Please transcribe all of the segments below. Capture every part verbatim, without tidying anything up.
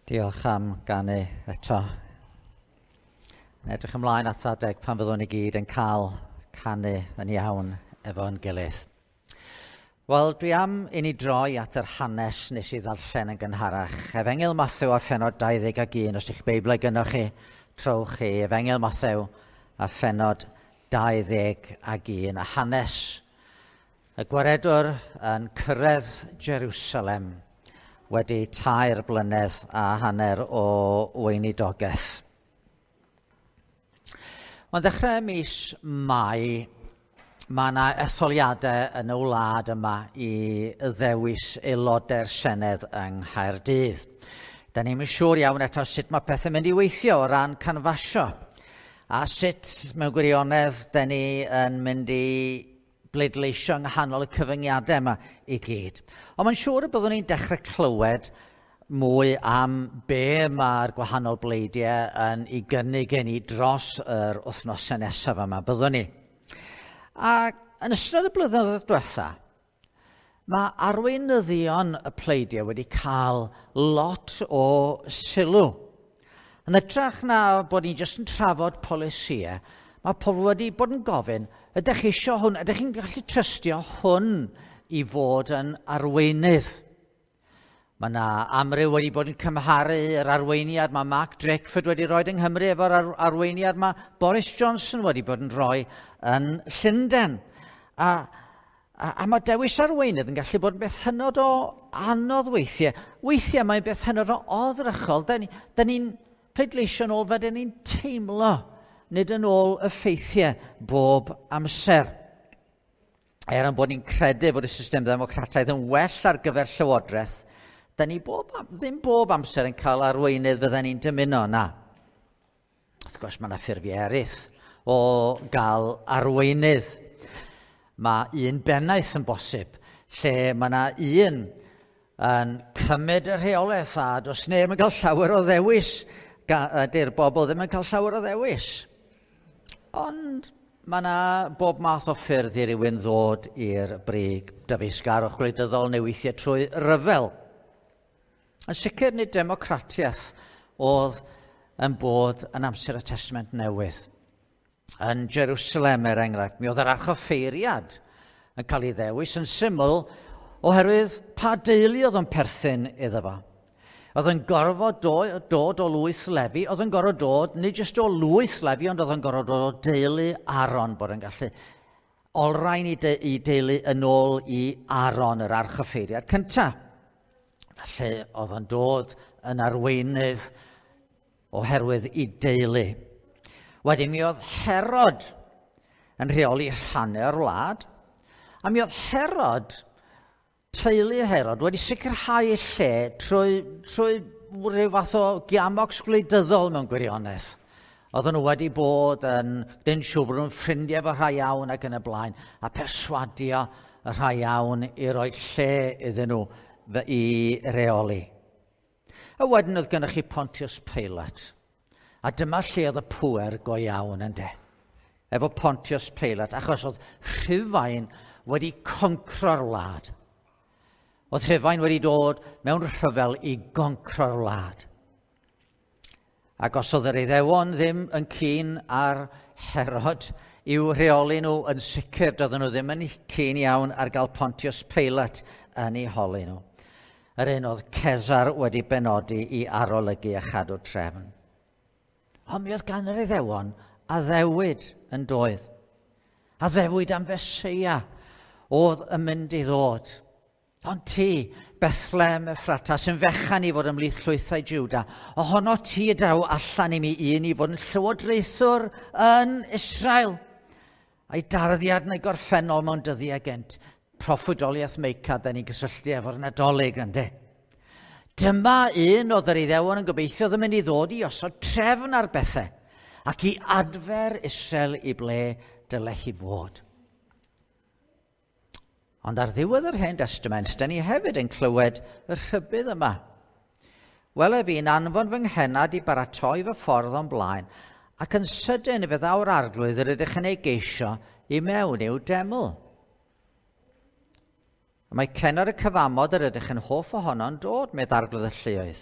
Diolch am ganu eto. Yn edrych ymlaen at adeg pan fyddwn ni gyd yn cael canu yn iawn efo'n gilydd. Wel, dwi am i ni droi at yr hanes nes i ddarllen yn gynharach. Efengyl Mathew a phennod dau ddeg ac un, os ydych Beiblau gynnwch chi, trowch chi. Efengyl Mathew a phennod dau ddeg ac un. A hanes y gwaredwr yn cyrraedd Jerusalem wedi tair blynedd a hanner o weinidogaeth. Ond ddechrau mis Mai, mae yna etholiadau yn y wlad yma i ddewis aelodau'r Senedd yng Nghaerdydd. Da ni'm yn siŵr iawn eto sut mae pethau'n mynd i weithio o ran canfasio, a sut mewn gwirionedd da ni yn mynd i bleidleisio yng nghanol y cyfyngiadau yma i gyd. Ond mae'n siŵr y byddwn ni'n dechrau clywed mwy am be mae'r gwahanol bleidiau yn ei gynnig i ni dros yr wythnosau nesaf yma, byddwn ni. A yn ystod y blynyddoedd diwetha, mae arweinyddion y pleidiau wedi cael lot o sylw. Yn hytrach na bod ni jyst yn trafod polisïau, mae pobl wedi bod yn gofyn, ydych chi eisiau hwn, ydych chi'n gallu trystio hwn i fod yn arweinydd? Mae yna amryw wedi bod yn cymharu yr arweiniad mae Mark Drakeford wedi rhoi yng Nghymru efo'r ar arweiniad mae Boris Johnson wedi bod yn rhoi yn Llundain. A, a, a mae dewis arweinydd yn gallu bod yn beth hynod o anodd weithiau. Weithiau mae'n beth hynod o oddrychol. Da ni'n ni ni'n pleidleisio yn ôl fel da ni'n teimlo, nid yn ôl y ffeithiau bob amser. Er yn bod ni'n credu bod y system ddemocrataidd yn well ar gyfer llywodraeth, da ni bob, ddim bob amser yn cael arweinydd fydden ni'n dymuno, na. Wrth gwrs, mae yna ffurfiau eraill o gael arweinydd. Mae un bennaeth yn bosib, lle mae yna un yn cymryd y rheolaeth a does neb yn cael llawer o ddewis. Dy'r bobl ddim yn cael llawer o ddewis. Ond mae yna bob math o ffyrdd i rywun ddod i'r brig dyfeisgarwch gwleidyddol neu weithiau trwy ryfel. Yn sicr nid democratiaeth oedd yn bod yn amser y Testament Newydd. Yn Jerusalem, er enghraifft, mi oedd yr archoffeiriad yn cael ei ddewis yn syml oherwydd pa deulu oedd yn perthyn iddo fo. Oedd yn gorfod do, dod o lwyth Lefi, oedd yn gorfod dod, nid jyst o lwyth Lefi, ond oedd yn gorfod dod o deulu Aaron, bod yn gallu olrhain i, de, i deulu yn ôl i Aaron, yr archoffeiriad cyntaf. Felly oedd yn dod yn arweinydd oherwydd i deulu. Wedyn mi oedd Herod yn rheoli rhannau o'r wlad, a mi oedd Herod, teulu Herod, wedi sicrhau lle trwy, trwy rhyw fath o giamocs gwleidyddol mewn gwirionedd. Oedden nhw wedi bod yn, dyn siŵr bod nhw'n ffrindiau efo rhai iawn ac yn y blaen, a perswadio y rhai iawn i roi lle iddyn nhw i reoli. A wedyn oedd gennych chi Pontius Pilate. A dyma lle oedd y pŵer go iawn ynde. Efo Pontius Pilate, achos oedd Rhufain wedi concro'r wlad. Oedd Rhufain wedi dod mewn rhyfel i goncro'r wlad. Ac os oedd yr Iddewon ddim yn keen ar Herod i'w rheoli nhw, yn sicr doedden nhw ddim yn keen iawn ar gael Pontius Pilate yn eu holi nhw. Yr un oedd Cesar wedi benodi i arolygu a chadw trefn. Ond mi oedd gan yr Iddewon addewid yn doedd. Addewid am Feseia oedd yn mynd i ddod. Ond ti, Bethlehem Ephrata, sy'n fechan i fod ymhlith llwythau Juda, ohono ti y daw allan i mi un i fod yn llywodraethwr yn Israel. A'i darddiad neu gorffennol mewn dyddiau gynt. Proffwydoliaeth Meica, da ni'n gysylltu efo'r Nadolig, ynddi. Dyma un oedd yr Iddewon yn gobeithio oedd yn mynd i ddod i osod trefn ar bethau ac i adfer Israel i ble dyle hi fod. Ond ar ddiwedd yr Hen Testament, da ni hefyd yn clywed y rhybudd yma. Wele fi'n anfon fy nghennad i baratoi fy ffordd o'n blaen, ac yn sydyn fe ddaw'r arglwydd yr ydych yn ei geisio i mewn i'w deml. Mae cennad y cyfamod yr ydych yn hoff ohono'n dod, medd arglwydd y lluoedd.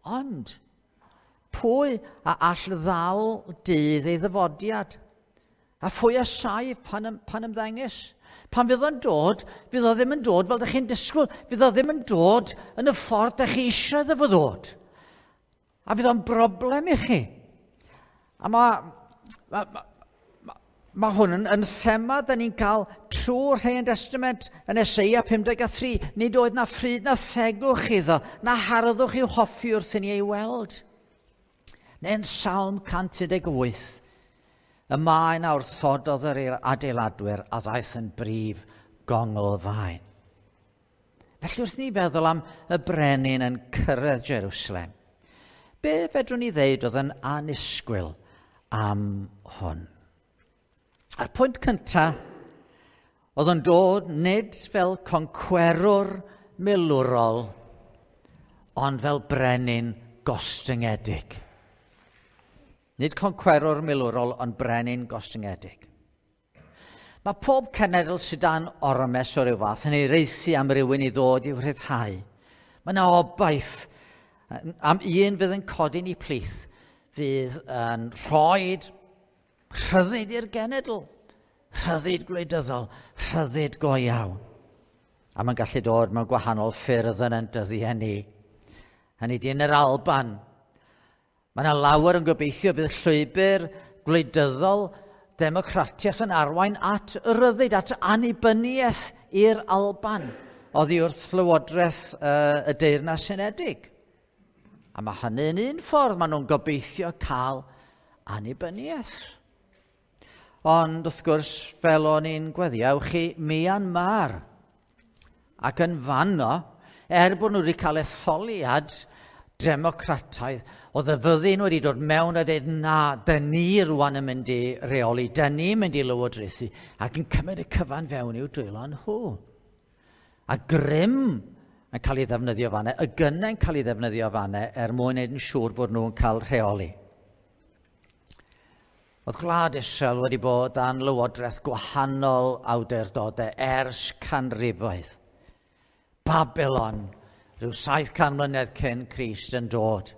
Ond, pwy a all ddal dydd ei ddyfodiad? A phwy a saif pan, ym, pan ymddengys? Pan fydd o'n dod, fydd o ddim yn dod fel ydych chi'n disgwyl. Fydd o ddim yn dod yn y ffordd ydych chi eisiau iddo fo ddod. A fydd o'n broblem i chi. A mae, ma, ma, ma, ma hwn yn, yn thema da ni'n cael trwy'r Hen Testament yn Eseia pum deg a thri. Nid oedd na ffryd na thegwch iddo, na harddwch i'w hoffi wrth i ni ei weld. Neu'n Salm cant un deg wyth, y maen a wrthododd yr adeiladwyr a ddaeth yn brif gonglfaen. Felly wrth ni feddwl am y brenin yn cyrraedd Jerusalem, be fedrwn ni ddeud oedd yn annisgwyl am hwn? A'r pwynt cyntaf, oedd yn dod nid fel concwerwr milwrol, ond fel brenin gostyngedig. Nid concwerwr milwrol, ond brenin gostyngedig. Mae pob cenedl sydd dan ormes o ryw fath yn ei reithi am rywun i ddod i'w rhyddhau. Mae yna obaith am un fydd yn codi'n ei plith, fydd yn rhoi rhyddid i'r genedl, rhyddid gwleidyddol, rhyddid go iawn. A mae'n gallu dod mewn gwahanol ffyrdd yn ein dyddiau ni. Hynny di yn yr Alban, mae yna lawer yn gobeithio bydd llwybr gwleidyddol democratiaeth yn arwain at ryddid, at annibyniaeth i'r Alban oddi wrth Llywodraeth uh, y Deyrnas Unedig. A mae hynny'n un ffordd maen nhw'n gobeithio cael annibyniaeth. Ond wrth gwrs, fel o'n i'n gweddio, ewch chi Myanmar. Ac yn fanno, er bod nhw wedi cael etholiad democrataidd, oedd y fyddin wedi dod mewn a dweud, na, dyn ni rwan yn mynd i reoli, dyn ni'n mynd i lywodraethu, ac yn cymryd y cyfan fewn i'w dwylo nhw. A grym yn cael ei ddefnyddio fanne, y gynnau'n cael ei ddefnyddio fanne er mwyn wneud yn siŵr bod nhw'n cael rheoli. Oedd gwlad Israel wedi bod dan lywodraeth gwahanol awdurdodau ers canrifoedd. Babylon, rhyw saith can mlynedd cyn Crist yn dod,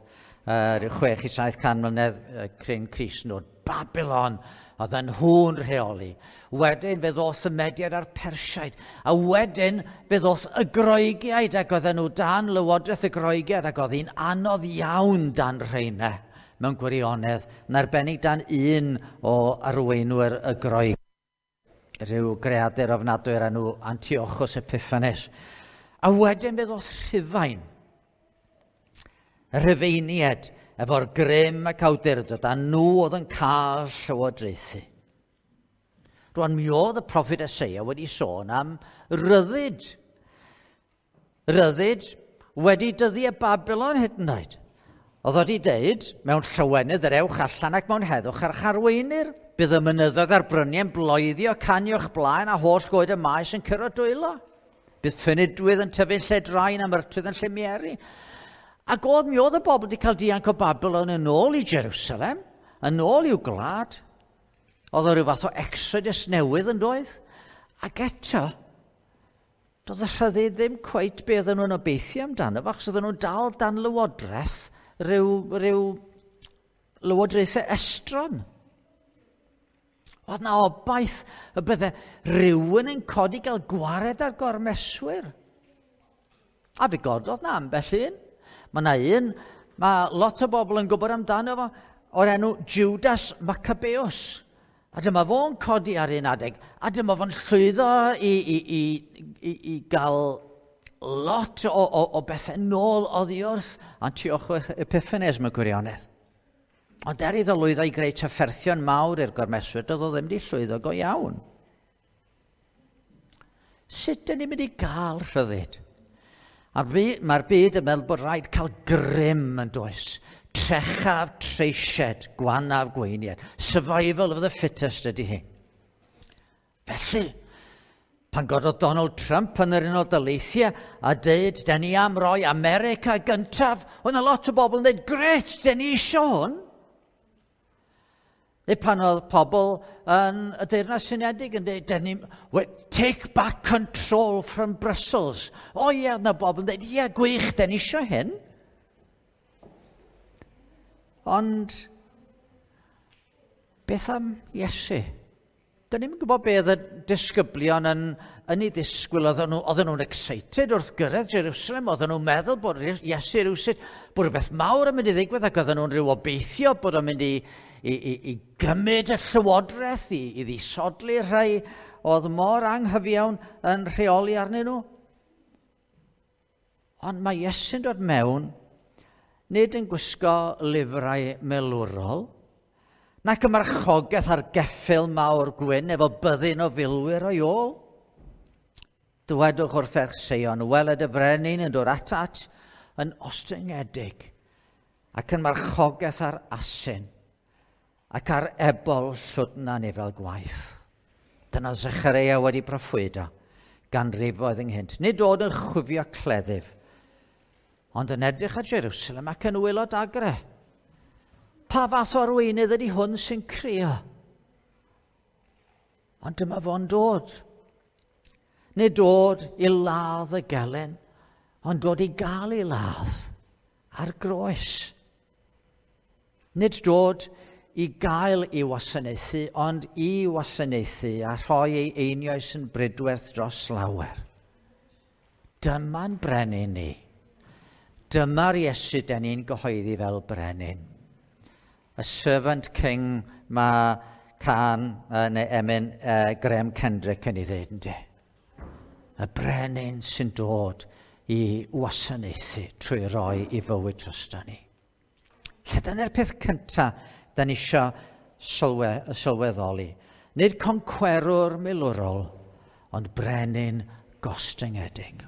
uh, rhyw chwech i saith can mlynedd cyn Crist yn dod. Babylon, oedd yn nhw'n rheoli. Wedyn fe ddoth y Mediaid a'r Persiaid, a wedyn fe ddoth y Groegiaid, ac oedden nhw dan lywodraeth y Groegiaid, ac oedd hi'n anodd iawn dan rheina mewn gwirionedd, yn arbennig dan un o arweinwyr y Groeg, rhyw greadur ofnadwy o'r enw Antiochus Epiphanes. A wedyn fe ddoth Rhufain, y Rhufeiniaid, efo'r grym ac awdurdod, a nhw oedd yn cael llywodraethu. Rwan, mi oedd y proffwyd Eseia wedi sôn am ryddid. Ryddid wedi dyddiau Babylon hyd yn oed. Oedd wedi deud, mewn llawenydd yr ewch allan ac mewn heddwch ar charweinir. Bydd y mynyddoedd a'r bryniau'n bloeddio, canio'ch blaen a holl goed y maes yn curo dwylo. Bydd ffynidwydd yn tyfu'n lle drain a myrtwydd yn lle mieri. Ac oedd mi oedd y bobl wedi cael dianc o Babylon yn ôl i Jerusalem, yn ôl i'w gwlad. Oedd o ryw fath o exodus newydd yn doedd. Ac eto, doedd y rhyddid ddim cweit be oedden nhw'n obeithio amdano, achos oedden nhw'n dal dan lywodraeth, rhyw, rhyw lywodraethau estron. Oedd na obaith y bydde rhywun yn codi gael gwared ar gormeswyr. A fe gododd na ambell un. Mae na un, mae lot o bobl yn gwybod amdano fo, o'r enw Judas Maccabeus. A dyma fo'n codi ar un adeg, a dyma fo'n llwyddo i, i, i, i, i gael lot o, o, o bethau nôl oddi wrth Antiochus Epiphanes mewn gwirionedd. Ond er iddo lwyddo i greu trafferthion mawr i'r gormeswyr, doedd o ddim wedi llwyddo go iawn. Sut dyn ni'n mynd i gael rhyddid? A mae'r byd yn meddwl bod rhaid cael grym yn does. Trechaf treisied, gwanaf gweiniad. Survival of the fittest ydy hi. Felly, pan gododd Donald Trump yn yr Unol Daleithiau a dweud, "Den ni am roi America gyntaf," oedd yna lot o bobl yn dweud, "Gret, den ni isio hwn." Neu pan oedd pobl yn y Deyrnas Unedig yn dweud, "Den ni, take back control from Brussels." O ie, yna bobl yn dweud, "Ie, gwych, den ni isio hyn." Ond beth am Iesu? Dyn ni'm yn gwybod be oedd y disgyblion yn, yn ei ddisgwyl. Oedden nhw, oedden nhw'n excited wrth gyrraedd Jerusalem. Oedden nhw'n meddwl bod Iesu rhywsut, bod rhywbeth mawr yn mynd i ddigwydd, ac oedden nhw'n rhyw obeithio bod o'n mynd i, i, i, i gymryd y llywodraeth, i, i ddisodli rhai oedd mor anghyfiawn yn rheoli arnyn nhw. Ond mae Iesu'n dod mewn, nid yn gwisgo lifrau milwrol, nac y marchogaeth ar geffyl mawr gwyn efo byddin o filwyr o'i ôl. Dywedwch wrth ferch Seion, weled y frenin yn dod atat yn ostyngedig ac yn marchogaeth ar asyn ac ar ebol llwdna neu fel gwaith. Dyna Zechareia wedi proffwydo ganrifoedd ynghynt. Nid dod yn chwifio cleddyf, ond yn edrych ar Jerusalem ac yn wylo dagre. Pa fath o arweinydd ydy hwn sy'n crio? Ond dyma fo'n dod. Nid dod i ladd y gelyn, ond dod i gael ei ladd ar groes. Nid dod i gael ei wasanaethu, ond i wasanaethu a rhoi ei einioes yn bridwerth dros lawer. Dyma'n brenin ni. Dyma'r Iesu den ni'n gyhoeddi fel brenin. Y servant king mae can neu emyn uh, Graham Kendrick yn ei ddweud, ynddi. Y brenin sy'n dod i wasanaethu trwy roi i fywyd drosto ni. Lle dyna'r peth cyntaf da ni isio sylwe, sylweddoli. Nid concwerwr milwrol, ond brenin gostyngedig.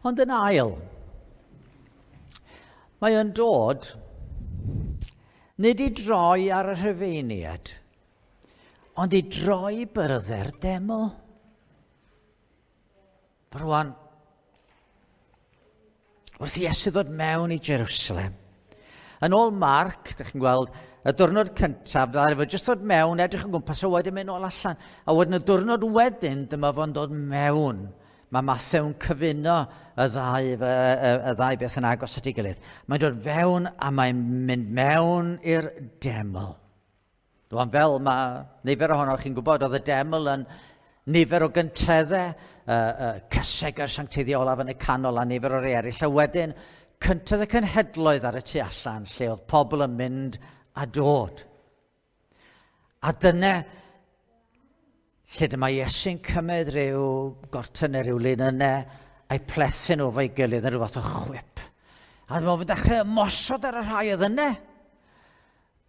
Ond yn ail, mae yn dod nid i droi ar y Rhufeiniaid, ond i droi byrddau'r deml. Rwan, wrth i Iesu ddod mewn i Jerusalem, yn ôl Marc, dych chi'n gweld, y diwrnod cyntaf, ddaru fo jyst ddod mewn, edrych yn gwmpas, a wedyn mynd nôl allan. A wedyn y diwrnod wedyn, dyma fo'n dod mewn. Mae Mathew'n cyfuno y ddau, y, y, y ddau beth yn agos at ei gilydd. Mae'n dod fewn a mae'n mynd mewn i'r deml. Rwan, fel mae nifer ohonoch chi'n gwybod, oedd y deml yn nifer o gynteddau, uh, uh, cysegr sancteiddio olaf yn y canol a nifer o'r eraill. A wedyn, cyntedd y cenhedloedd ar y tu allan, lle oedd pobl yn mynd a dod. A dyna lle dyma Iesu'n cymryd rhyw gortyn neu rhyw linynau a'i plethu nhw efo'i gilydd yn rhyw fath o chwip. A dyma fo'n dechrau ymosod ar y rhai oedd yna.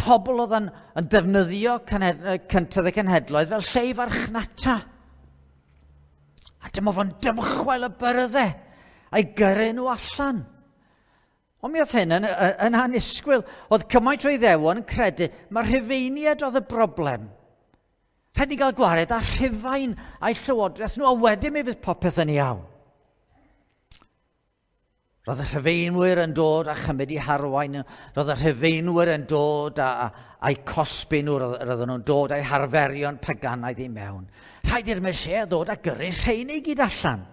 Pobl oedd yn, yn defnyddio cyntedd y cenhedloedd fel lle i farchnata. A dyma fo'n dymchwel y byrddau a'i gyrru nhw allan. Ond mi oedd hyn yn, yn annisgwyl. Oedd cymaint o Iddewon yn credu mae'r Rhufeiniaid oedd y broblem. Rhaid ni gael gwared â Rhufain a'i llywodraeth nhw, a wedyn mi fydd popeth yn iawn. Roedd y Rhufeinwyr yn dod a chymryd i harwain, roedd y Rhufeinwyr yn dod a, a, a'i cosbi nhw, roedden nhw'n dod a'i harferion paganaidd i mewn. Rhaid i'r Meseia ddod a gyrru rheini i gyd allan.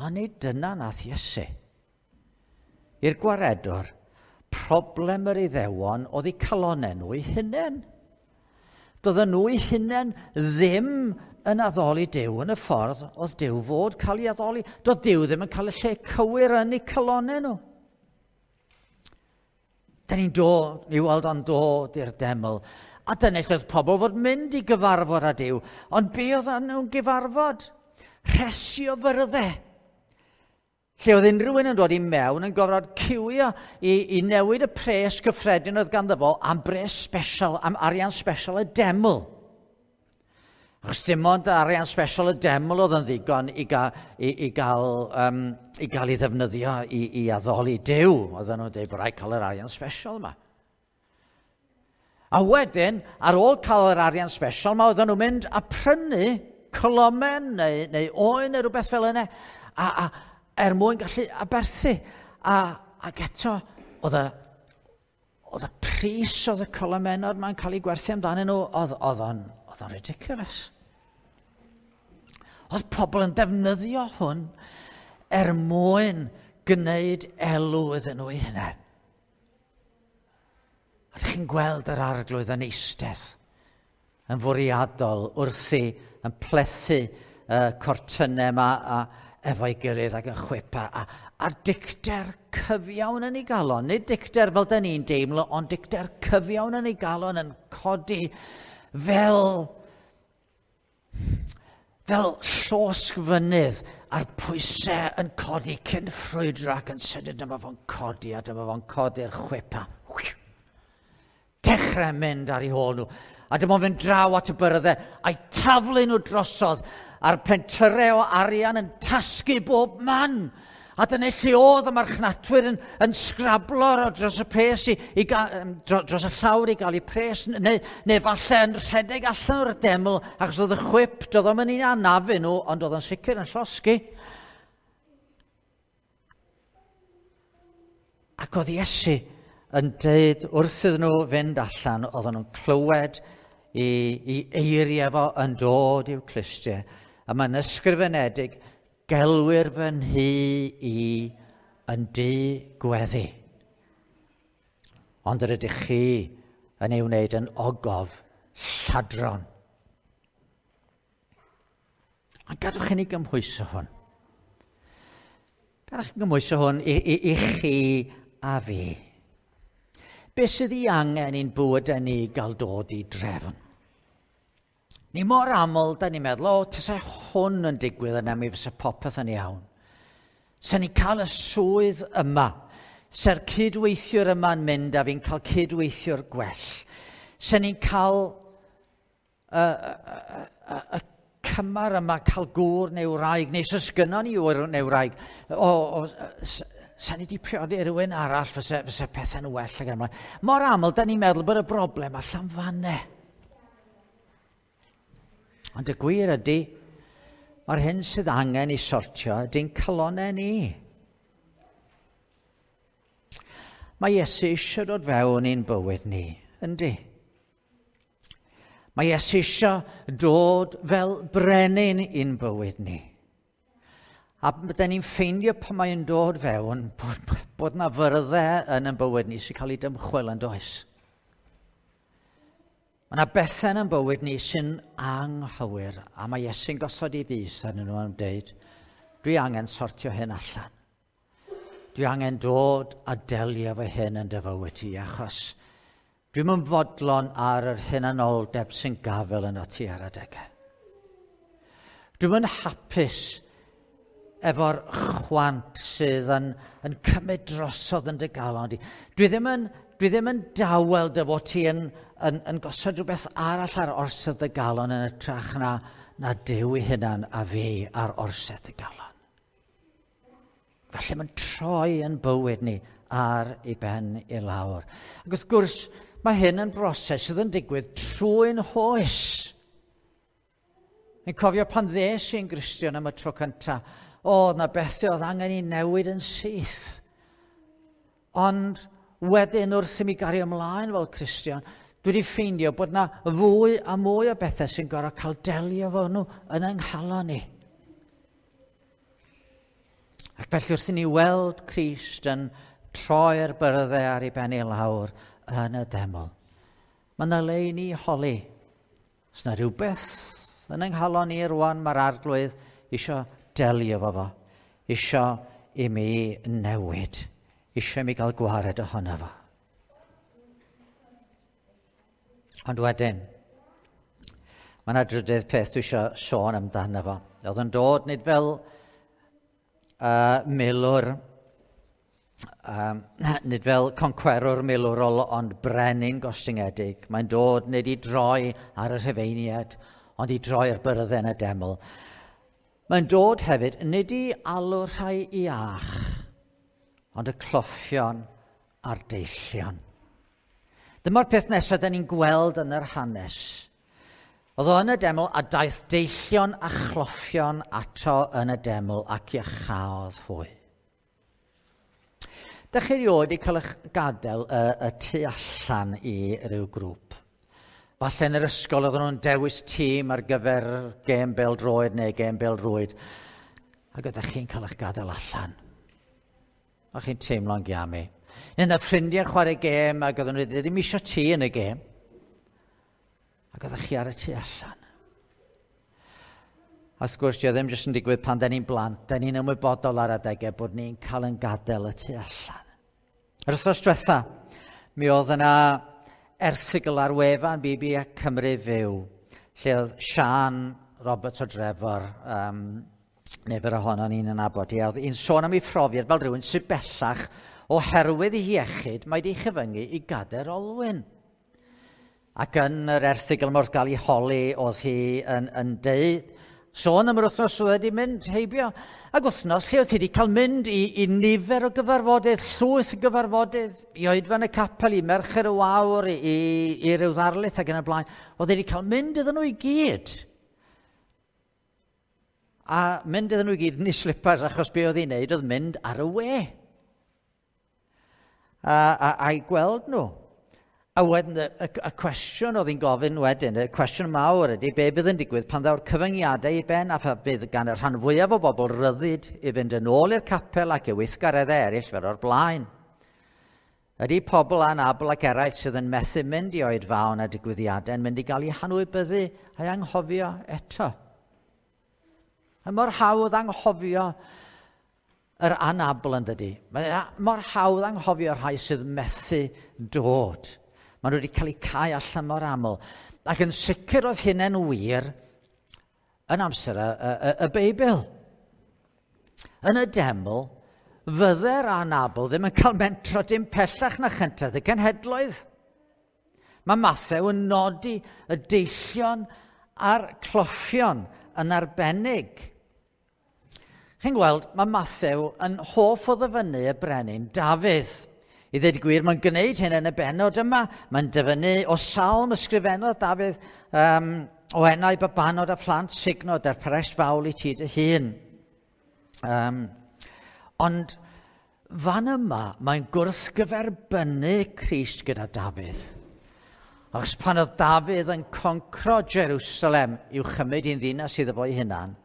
Ond nid dyna nath Iesu. I'r gwaredwr, problem yr Iddewon oedd eu calonnau nhw eu hunain. Doedden nhw eu hunain ddim yn addoli Duw yn y ffordd oedd Duw fod cael ei addoli. Doedd Duw ddim yn cael y lle cywir yn eu calonnau nhw. Da ni'n dod, ni weld o'n dod i'r deml. A dyna lle oedd pobl fod mynd i gyfarfod â Duw. Ond be oedd nhw'n gyfarfod? Rhesi o fyrddau. Lle oedd unrhyw un yn dod i mewn yn gorfod ciwio i, i newid y pres cyffredin oedd ganddo fo am bres special, am arian special y deml. Achos dim ond arian special y deml oedd yn ddigon i, ga, i, i, gael, um, i gael ei ddefnyddio i, i addoli Duw. Oedden nhw'n dweud bod rhaid cael yr arian special yma. A wedyn, ar ôl cael yr arian special yma, oedden nhw'n mynd a prynu colomen neu, neu oen neu rhywbeth fel yna. A, a, er mwyn gallu aberthu. A, ac eto, oedd y, oedd y pris oedd y colomenod ma'n cael ei gwerthu amdanyn nhw, oedd, oedd o'n, oedd o'n ridiculous. Oedd pobl yn defnyddio hwn er mwyn gwneud elw iddyn nhw eu hunain. A ydych chi'n gweld yr Arglwydd yn eistedd, yn fwriadol wrthi, yn plethu y cortynnau yma a efo'i gilydd ac yn chwipa. A, a'r dicter cyfiawn yn ei galon, nid dicter fel da ni'n deimlo, ond dicter cyfiawn yn ei galon yn codi fel, fel llosg fynydd a'r pwysau yn codi cyn ffrwydro ac yn sydyn dyma fo'n codi a dyma fo'n codi'r chwipa. Dechrau mynd ar ei hôl nhw. A dyma fo'n fynd draw at y byrddau a'i taflu nhw drosodd a'r pentyrau o arian yn tasgu bob man. A dyna lle oedd y marchnatwyr yn, yn sgrablo dros y pres i, i ga, dros y llawr i gael eu pres, neu, neu falle yn rhedeg allan o'r deml, achos oedd y chwip, doedd o'm yn un anafu nhw, ond oedd o'n sicr yn llosgi. Ac oedd Iesu yn deud wrth iddyn nhw fynd allan, oedden nhw'n clywed i, i eiriau fo yn dod i'w clustiau. A mae'n ysgrifenedig, gelwir fy nhŷ i yn dŷ gweddi. Ond yr ydych chi yn ei wneud yn ogof lladron. Ond gadwch i ni gymhwyso hwn. Gadwch chi gymhwyso hwn i, i, i chi a fi. Be sydd ei angen i'n bywydau ni gael dod i drefn? Ni mor aml, da ni'n meddwl, o, tasa hwn yn digwydd yna, mi fysa popeth yn iawn. Sa ni'n cael y swydd yma, sa'r cydweithiwr yma'n mynd a fi'n cael cydweithiwr gwell. Sa ni'n cael y, y, y, y cymar yma, cael gŵr neu wraig, neu os gynnon ni ŵr neu wraig, o, o, sa ni wedi priodi rhywun arall, fysa, fysa pethau'n well ac yn ymlaen. Mor aml, da ni'n meddwl bod y broblem allan fanne. Ond y gwir ydy, mae'r hyn sydd angen i sortio ydy'n calonnau ni. Mae Iesu eisiau dod fewn i'n bywyd ni, yndi? Mae Iesu eisiau dod fel brenin i'n bywyd ni. A da ni'n ffeindio pan mae'n dod fewn bod, bod na fyrddau yn ein bywyd ni sy'n cael ei dymchwel yn does. Mae yna bethau yn ein bywyd ni sy'n anghywir, a mae Iesu'n gosod ei fys arnyn nhw yn dweud, dwi angen sortio hyn allan. Dwi angen dod a delio efo hyn yn dy fywyd ti, achos dwi'm yn fodlon ar yr hunanoldeb sy'n gafel yno ti ar adegau. Dwi'm yn hapus efo'r chwant sydd yn, yn cymryd drosodd yn dy galon di. Dwi ddim yn, dwi ddim yn dawel dy fod ti yn, yn, yn gosod rhywbeth arall ar orsedd dy galon yn hytrach na, na Duw ei hunan a fi ar orsedd dy galon. Felly mae'n troi yn bywyd ni ar ei ben i lawr. Ac wrth gwrs, mae hyn yn broses sydd yn digwydd trwy'n hoes. Fi'n cofio pan ddes i'n Gristion am y tro cyntaf, o, na bethau oedd angen i newid yn syth. Ond wedyn wrth i mi gario ymlaen fel Cristion, dwi wedi ffeindio bod na fwy a mwy o bethau sy'n gorfod cael delio efo nhw yn yng nghalon ni. Ac felly wrth i ni weld Crist yn troi'r byrddau ar ei ben i lawr yn y deml, mae yna le i ni holi. Os yna rhywbeth yn yng nghalon ni rwan, mae'r Arglwydd isio delio efo fo, isio i mi newid, isio i mi gael gwared ohono fo. Ond wedyn, mae yna drydydd peth dwi eisiau sôn amdano fo. Oedd yn dod nid fel uh, milwr, um, nid fel concwerwr milwrol, ond brenin gostyngedig. Mae'n dod nid i droi ar y Rhufeiniaid, ond i droi'r byrddau yn y deml. Mae'n dod hefyd nid i alw rhai iach, ond y cloffion a'r deillion. Dyma'r peth nesaf da ni'n gweld yn yr hanes. Oedd o yn y deml a daeth deillion a chloffion ato yn y deml ac iachaodd hwy. Dach chi erioed wedi cael eich gadael y, y tu allan i ryw grŵp? Falle yn yr ysgol oedden nhw'n dewis tîm ar gyfer gêm bêl-droed neu gêm bêl-rwyd, ac oeddech chi'n cael eich gadael allan. O'ch chi'n teimlo'n giami. Neu na ffrindiau chwarae gêm ac oedden nhw ddim eisiau ti yn y gêm. Ac oeddech chi ar y tu allan. A wrth gwrs, dio ddim jyst yn digwydd pan da ni'n blant, da ni'n ymwybodol ar adegau bod ni'n cael yn gadael y tu allan. Yr wythnos diwetha, mi oedd yna erthygl ar wefan B B Cymru Fyw, lle oedd Sian Roberts o Drefor, um, nifer ohono ni'n nabod hi, oedd hi'n sôn am ei phrofiad fel rhywun sydd bellach oherwydd ei hiechyd, mae wedi chyfyngu i gadair olwyn. Ac yn yr erthygl yma wrth gael ei holi, oedd hi yn, yn deud, sôn am yr wythnos oedd wedi mynd heibio, ac wythnos lle oedd hi wedi cael mynd i, i nifer o gyfarfodydd, llwyth o gyfarfodydd, i oedfan y capel, i Merched y Wawr, i, i, i ryw ddarlith ac yn y blaen. Oedd wedi cael mynd iddyn nhw i gyd. A mynd iddyn nhw i gyd yn ei slippers, achos be oedd hi'n neud oedd mynd ar y we. A, a, a'i gweld nhw. A wedyn, y, y, y cwestiwn oedd hi'n gofyn wedyn, y cwestiwn mawr ydy, be bydd yn digwydd pan ddaw'r cyfyngiadau i ben a pha bydd gan y rhan fwyaf o bobl ryddid i fynd yn ôl i'r capel ac i weithgareddau eraill fel o'r blaen. Ydy pobl anabl ac eraill sydd yn methu mynd i oedfaon a digwyddiadau yn mynd i gael eu hanwybyddu a'i anghofio eto? A mor hawdd anghofio yr anabl yn dydy. Mae mor hawdd anghofio rhai sydd methu dod. Maen nhw wedi cael eu cau allan mor aml. Ac yn sicr oedd hynny'n wir yn amser y, y, y Beibl. Yn y deml, fydde'r anabl ddim yn cael mentro dim pellach na chyntaf y cenhedloedd. Mae Mathew yn nodi y deillion a'r cloffion yn arbennig. Chi'n gweld, mae Mathew yn hoff o ddyfynnu y brenin Dafydd. I ddweud y gwir, mae'n gwneud hyn yn y bennod yma. Mae'n dyfynnu o salm ysgrifennodd Dafydd um, o enau babanod a phlant sugnod ar pares fawl i ti dy hun. Um, ond fan yma, mae'n gwrthgyferbynnu Crist gyda Dafydd. Achos pan oedd Dafydd yn concro Jerusalem i'w chymryd i'n ddinas iddo fo'i hunan,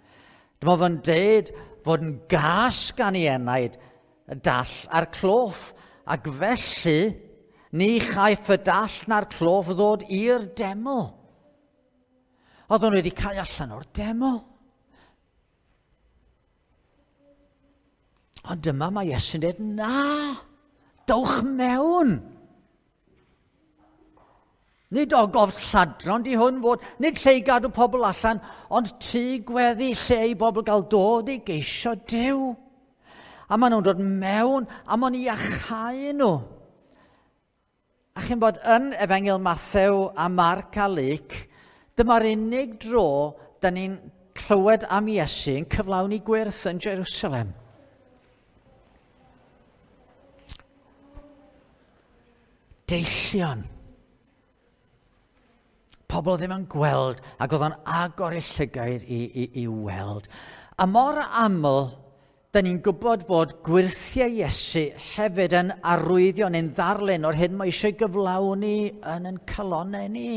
dyma fo'n deud fod yn gas gan ei enaid y dall a'r cloff, ac felly ni chaiff y dall na'r cloff ddod i'r deml. Oedden nhw wedi cael allan o'r deml. Ond dyma mae Iesu'n dweud, na, dowch mewn. Nid ogof lladron di hwn fod, nid lle i gadw pobl allan, ond tŷ gweddi lle i bobl gael dod i geisio Duw. A maen nhw'n dod mewn, a maen nhw'n iachau nhw. A chi'n bod yn Efengyl Mathew a Marc a Luc, dyma'r unig dro da ni'n clywed am Iesu yn cyflawni gwyrth yn Jerusalem. Deillion. Pobl ddim yn gweld, ac oedd o'n agor eu llygaid i, i, i weld. A mor aml, da ni'n gwybod fod gwyrthiau Iesu hefyd yn arwyddio neu'n ddarlun o'r hyn mae eisiau gyflawni yn ein calonnau ni.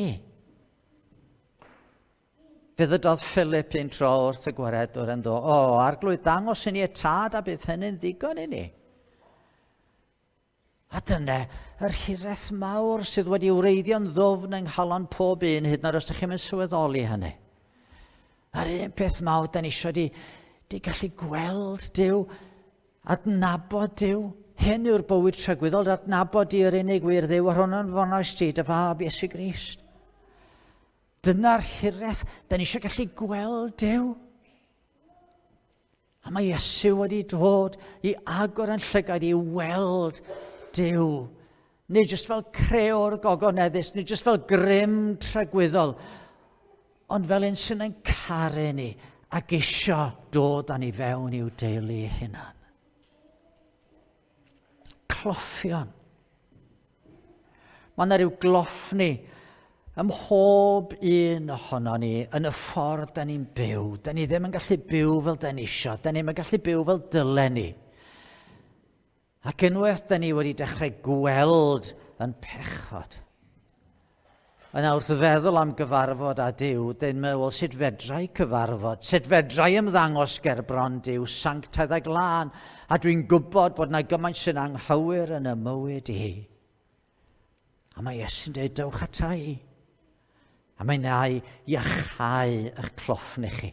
Fe ddydodd Philip un tro wrth y gwaredwr yn ddo, o, Arglwydd, dangos i ni y tad a bydd hynny'n ddigon i ni. A dyna yr hiraeth mawr sydd wedi wreiddio'n ddwfn yng nghalon pob un, hyd yn oed os ydych chi'n sylweddoli hynny. A'r un peth mawr da ni eisiau di, di gallu gweld Duw, adnabod Duw. Hyn yw'r bywyd tragwyddol, adnabod di yr unig wir Dduw, a'r hwn yn fonoes ti, dy fab Iesu Grist. Dyna'r hiraeth, da ni eisiau gallu gweld Duw. A mae Iesu wedi dod i agor yn llygaid i weld Duw. Nid jyst fel creor gogoneddus, nid jyst fel grym tragwyddol, ond fel un sy'n ein caru ni ac isio dod â ni fewn i'w deulu ei hunan. Cloffion. Mae yna rhyw gloffni ym mhob un ohono ni yn y ffordd da ni'n byw. Da ni ddim yn gallu byw fel da ni isio. Da ni'm yn gallu byw fel dylen ni. Ac unwaith da ni wedi dechrau gweld yn pechod, Yna wrth feddwl am gyfarfod â Duw, dyn meddwl sut fedrai cyfarfod, sut fedrai ymddangos gerbron Duw, sanctaidd a glân, a dwi'n gwybod bod yna gymaint sy'n anghywir yn y mywyd i. A mae Iesu'n dweud, dewch ata i. A mae na i iachau eich cloffni chi.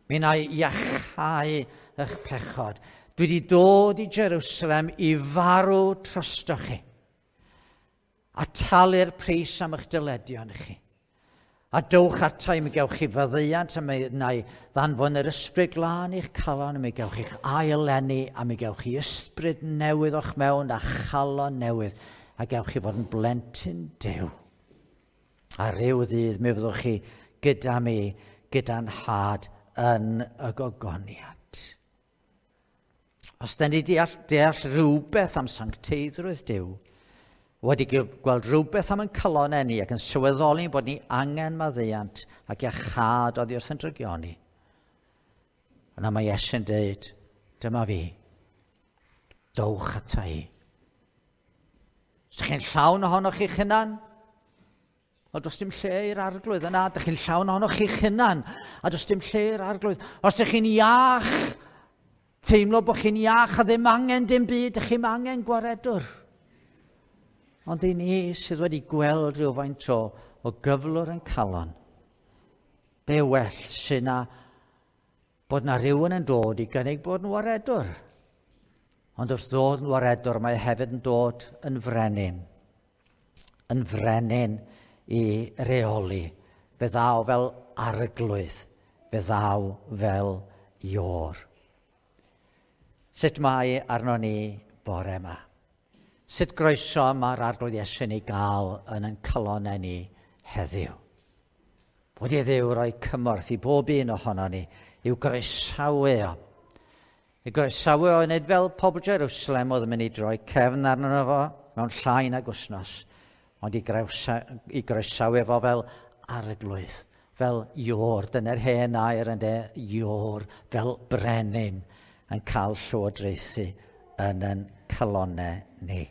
Mi na i iachau eich pechod. Dwi wedi dod i Jerusalem i farw trostoch chi. A talu'r pris am eich dyledion chi. A dowch ata i, mi gewch chi faddeuant, a mi wna i ddanfon yr ysbryd glân i'ch calon, a mi gewch chi'ch aileni, a mi gewch chi ysbryd newydd o'ch mewn a chalon newydd, a gewch chi fod yn blentyn Duw. A ryw ddydd mi fyddwch chi gyda mi, gyda'n nhad yn y gogoniant. Os da ni deall, deall rhywbeth am sancteiddrwydd Duw, wedi gweld rhywbeth am yn calonau ni ac yn sylweddoli bod ni angen maddeuant ac iachâd oddi wrth yn drygioni. Yna mae Iesu'n dweud, dyma fi, dowch ata i. Os ydych chi'n llawn ohonoch chi'ch hunan, o does dim lle i'r arglwydd yna, ydych chi'n llawn ohonoch chi'ch hunan, a does dim lle i'r arglwydd. Os ydych chi'n iach, teimlo bod chi'n iach a ddim angen dim byd, ydych chi'n angen gwaredwr. Ond i ni sydd wedi gweld rhywfaint o, o gyflwr yn calon, be well sy'n na bod na rhywun yn dod i gynnig bod yn waredwr. Ond wrth ddod yn waredwr, mae hefyd yn dod yn frenin. Yn frenin i reoli. Fe ddaw fel arglwydd. Fe ddaw fel Iôr. Sut mae arno ni bore yma? Sut groeso mae'r arglwydd Iesu'n ei gael yn ein calonau ni heddiw? Bod i Dduw roi cymorth i bob un ohono ni i'w groesawu o. I groesawu o, nid fel pobl Jerusalem oedd yn mynd i droi cefn arno fo mewn llai nag wythnos, ond i, grewsa, i groesawu fo fel arglwydd, fel Iôr. Dyna'r hen air ynde, Iôr, fel brenin yn cael llywodraethu yn yn calonau ni.